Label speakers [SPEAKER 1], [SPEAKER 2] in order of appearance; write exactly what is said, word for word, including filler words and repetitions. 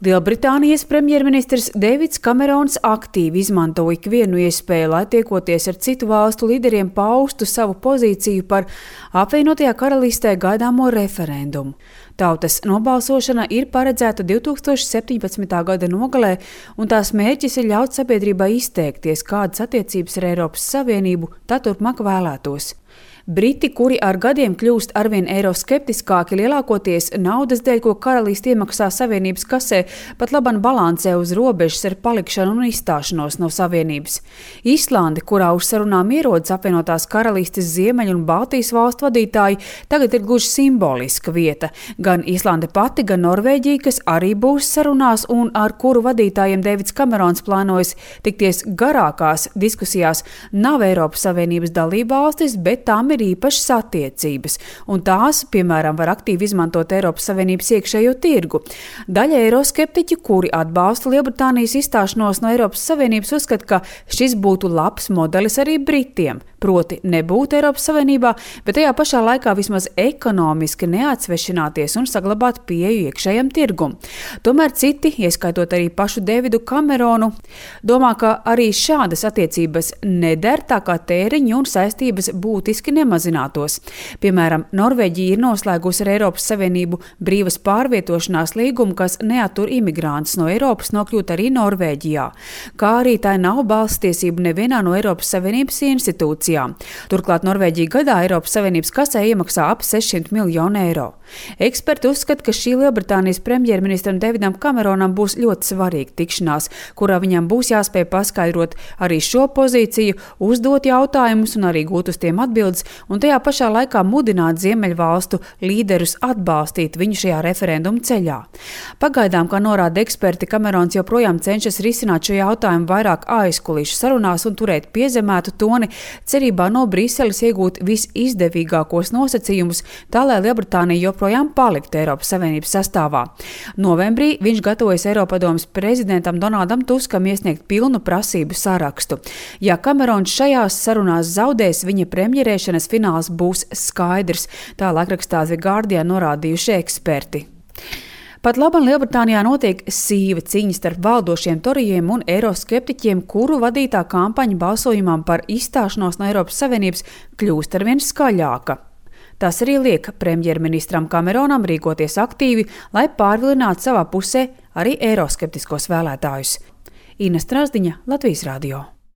[SPEAKER 1] Lielbritānijas premjerministrs Deivids Kamerons aktīvi izmanto ikvienu iespēju, lai tiekoties ar citu valstu līderiem paustu savu pozīciju par apvienotajā karalistē gaidāmo referendumu. Tautas nobalsošana ir paredzēta divtūkstoš septiņpadsmitā gada nogalē, un tās mērķis ir ļaut sabiedrībai izteikties, kādas attiecības ar Eiropas Savienību tā turpmāk vēlētos. Briti, kuri ar gadiem kļūst arvien eiroskeptiskāki, lielākoties naudas dēļ, ko karaliste iemaksā Savienības kasē, pat laban balansē uz robežas ar palikšanu un izstāšanos no Savienības. Islande, kurā uz sarunām ierodas apvienotās karalistes Ziemeļu un Baltijas valstu vadītāji, tagad ir gluži simboliska vieta. Gan Islande pati, gan Norvēģija, kas arī būs sarunās un ar kuru vadītājiem Deivids Kamerons plānojas tikties garākās diskusijās, nav Eiropas Savienības dalībvalstis, bet tām ir īpašas attiecības, un tās, piemēram, var aktīvi izmantot Eiropas Savienības iekšējo tirgu. Daļa eiroskeptiķi, kuri atbalsta Lielbritānijas izstāšanos no Eiropas Savienības, uzskata, ka šis būtu labs modelis arī Britiem, proti nebūt Eiropas Savienībā, bet tajā pašā laikā vismaz ekonomiski neatsvešināties un saglabāt pieeju iekšējam tirgum. Tomēr citi, ieskaitot arī pašu Deividu Kameronu, domā, ka arī šādas attiecības neder, tā kā tēriņi un saistības būtiski nemazinātos. Piemēram, Norvēģija ir noslēgusi ar Eiropas Savienību brīvas pārvietošanās līgumu, kas neattur imigrantus no Eiropas nokļūt arī Norvēģijā, kā arī tai nav balsstiesību nevienā no Eiropas Savienības institūcijām. Turklāt Norvēģija gadā Eiropas Savienības kasē iemaksā ap sešsimt miljonu eiro. Eksperti uzskata, ka šī Lielbritānijas premjerministram Deividam Kameronam būs ļoti svarīga tikšanās, kurā viņam būs jāspēj paskaidrot arī šo pozīciju, uzdot jautājumus un arī gūt uz tiem atbildes, un tajā pašā laikā mudināt Ziemeļvalstu līderus atbalstīt viņu šajā referenduma ceļā. Pagaidām, kā norāda eksperti, Kamerons joprojām cenšas risināt šo jautājumu vairāk aizkulisku sarunās un turēt piezemētu toni, cerībā no Briseles iegūt visizdevīgākos nosacījumus, tā lai Lielbritānija joprojām paliktu Eiropas Savienības sastāvā. Novembrī viņš gatavojas Eiropadomes prezidentam Donaldam Tuskam iesniegt pilnu prasību sarakstu. Ja Kamerons šajās sarunās zaudēs, viņa premjerēšanas fināls būs skaidrs, tā laikrakstā The Guardian norādījuši eksperti. Pat laban Lielbritānijā notiek sīva cīņa starp valdošiem torijiem un eiroskeptiķiem, kuru vadītā kampaņa balsojumam par izstāšanos no Eiropas Savienības kļūst arvien skaļāka. Tas arī liek premjerministram Kameronam rīkoties aktīvi, lai pārvilinātu savā pusē arī eiroskeptiskos vēlētājus. Ina Strasdiņa, Latvijas radio.